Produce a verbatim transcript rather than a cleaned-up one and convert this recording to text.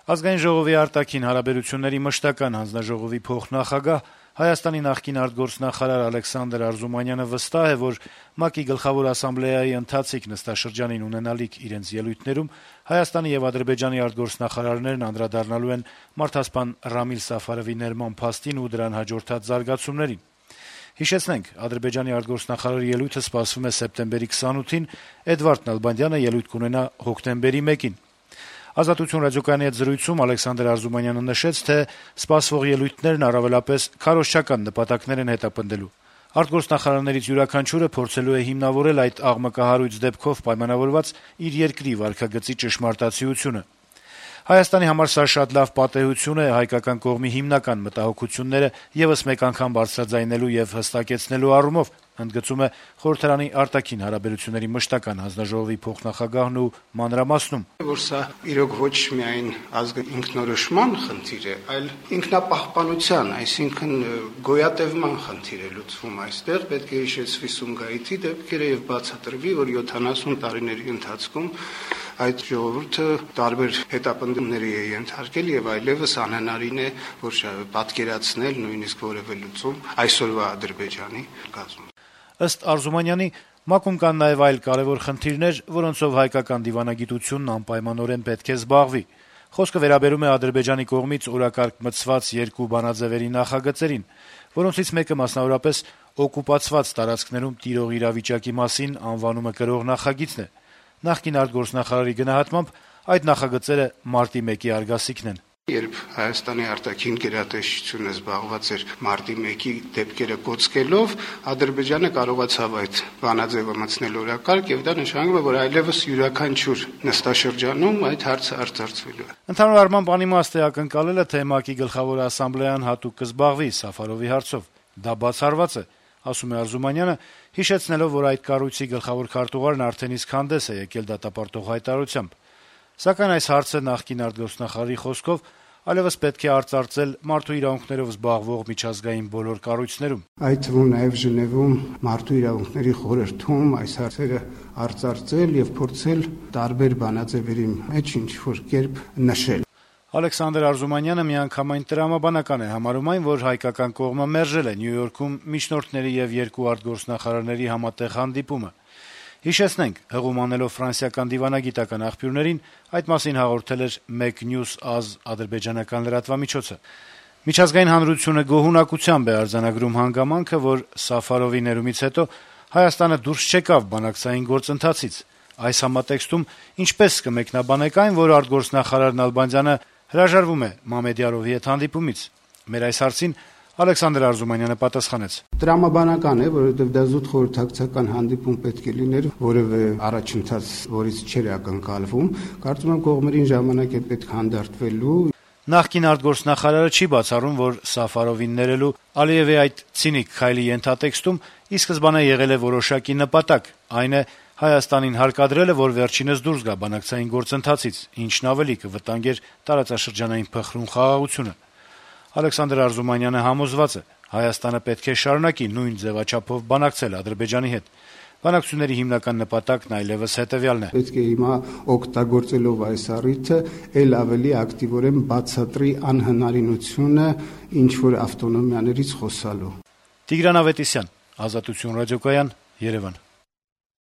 Ազգային ժողովի արտաքին հարաբերությունների մշտական հանձնաժողովի փոխնախագահ, Հայաստանի նախկին արտգործնախարար Ալեքսանդր Արզումանյանը վստահ է, որ ՄԱԿ-ի Գլխավոր ասամբլեայի ընթացիկ նստաշրջանին ունենալիք իրենց ելույթներում Հայաստանի եւ Ադրբեջանի արտգործնախարարներն անդրադառնալու են մարդասպան Ռամիլ Սաֆարովի ներման փաստին ու դրան հաջորդած զարգացումներին։ Հիշեցնենք, Ադրբեջանի արտգործնախարարի ելույթը սպասվում է սեպտեմբերի քսանութին, Էդվարդ Նալբանդյանը ելույթ կունենա հոկտեմբերի մեկին։ «Ազատություն» ռադիոկայանի հետ զրույցում Ալեքսանդր Արզումանյանը նշեց, թե սպասվող ելույթներն առավելապես քարոզչական նպատակներ են հետապնդելու։ Արտգործնախարարներից յուրաքանչյուրը փորձելու է հիմնավորել այդ աղմկահարույց դեպքով պայմանավորված իր երկրի վարքագծի ճշմարտացիությունը։ Հայաստանի համար սա շատ լավ պատեհություն է հայկական կողմի հիմնական մտահոգությունները եւս մեկ անգամ բարձրաձայնելու եւ հստակեցնելու առումով, ընդգծում է խորհրդարանի արտաքին հարաբերությունների մշտական հանձնաժողովի փոխնախագահն ու մանրամասնում. որ սա իրոք ոչ միայն ազգի ինքնորոշման խնդիր է, այլ ինքնապահպանության, այսինքն գոյատևման խնդիր է լուծվում այստեղ, պետք է հիշեցվի Սումգայիթի դեպքերը եւ բացատրվի, որ յոթանասուն տարիների ընթացքում այդ ժողովուրդը տարբեր հետապնդումների է ենթարկել եւ այլեւս անհնարին է, որ պատկերացնել նույնիսկ որևէ լուծում այսօրվա Ադրբեջանի կազմում։ Ըստ Արզումանյանի, ՄԱԿ-ում կան նաեւ այլ կարեւոր խնդիրներ, որոնցով հայկական դիվանագիտությունն անպայմանորեն պետք է զբաղվի։ Խոսքը վերաբերում է Ադրբեջանի կողմից օրակարգ մտցված երկու բանաձեւերի նախագծերին, որոնցից մեկը մասնավորապես օկուպացված տարածքներում տիրող իրավիճակի մասին անվանումը կրող նախագիծն է։ Նախկին արտգործնախարարի գնահատմամբ այդ նախագծերը մարտի մեկի արգասիքն են։ Երբ Հայաստանի արտաքին գերատեսչությունը զբաղված էր մարտի մեկի դեպքերը կոծկելով, Ադրբեջանը կարողացավ այդ բանաձևը մտցնել օրակարգ եւ դա նշանակում է, որ այլեւս յուրաքանչյուր նստաշրջանում այդ հարցը արծարծվելու է։ Ընդհանուր առմամբ անիմաստ է ակնկալելը, թե ՄԱԿ-ի Գլխավոր ասամբլեան հատուկ կզբաղվի Սաֆարովի հարցով։ Դա բացառված է, ասում է Արզումանյանը, հիշեցնելով, որ այդ կառույցի գլխավոր քարտուղարն արդեն իսկ հանդես է եկել դատապարտող հայտարարությամբ։ Սակայն այս հարցը նախկին արտգործնախարարի խոսքով այլևս պետք է արծարծել մարդու իրավունքներով զբաղվող միջազգային բոլոր կառույցներում։ Այդ թվում նաև Ժնևում մարդու իրավունքների խորհրդում այս հարցերը արծարծել եւ փորձել տարբեր բանաձևերի մեջ ինչ-որ կերպ նշել։ Ալեքսանդր Արզումանյանը միանգամայն տրամաբանական է համարում այն, որ հայկական կողմը մերժել է Նյու Յորքում միջնորդների եւ երկու արտգործնախարարների համատեղ հանդիպումը։ Հիշեցնենք, հղում անելով ֆրանսիական դիվանագիտական աղբյուրներին, այդ մասին հաղորդել էր մեկ նյուզ ազգ ադրբեջանական լրատվամիջոցը։ Միջազգային հանրությունը գոհունակությամբ է արձանագրում հանգամանքը, որ Սաֆարովի ներումից հետո Հայաստանը դուրս չեկավ բանակցային գործընթացից։ Այս համատեքստում ինչպես կմեկնաբանեք այն, որ արտգործնախարար Նալբանդյանը հրաժարվում է Մամեդյարովի հետ հանդիպումից։ Մեր այս հարցին Ալեքսանդր Արզումանյանը պատասխանեց. Տրամաբանական է, որովհետև դա զուտ խորհրդակցական հանդիպում պետք է լիներ, որևէ առաջընթաց, որից չէր ակնկալվում։ Կարծում եմ կողմերին ժամանակ է պետք հանդարտվելու։ Նախկին արտգործնախարարը չի բացառում, որ Սաֆարովին ներելու Ալիևի այդ ցինիկ քայլի ենթատեքստում ի սկզբանե եղել է որոշակի նպատակ, այն է Հայաստանին հարկադրելը, որ վերջինս դուրս գա բանակցային գործընթացից, ինչն ավելի կվտանգեր տարածաշրջանային փխրուն խաղաղությունը։ Ալեքսանդր Արզումանյանը համոզված է, Հայաստանը պետք է շարունակի նույն ձևաչափով բանակցել Ադրբեջանի հետ։ Բանակցությունների հիմնական նպատակն այլևս հետեւյալն է. Պետք է հիմա օգտագործելով այս առիթը ել ավելի ակտիվորեն բացատրի անհնարինությունը ինչ որ ավտոնոմիաներից խոսալու։ Տիգրան Ավետիսյան, Ազատություն ռադիոկայան, Երևան։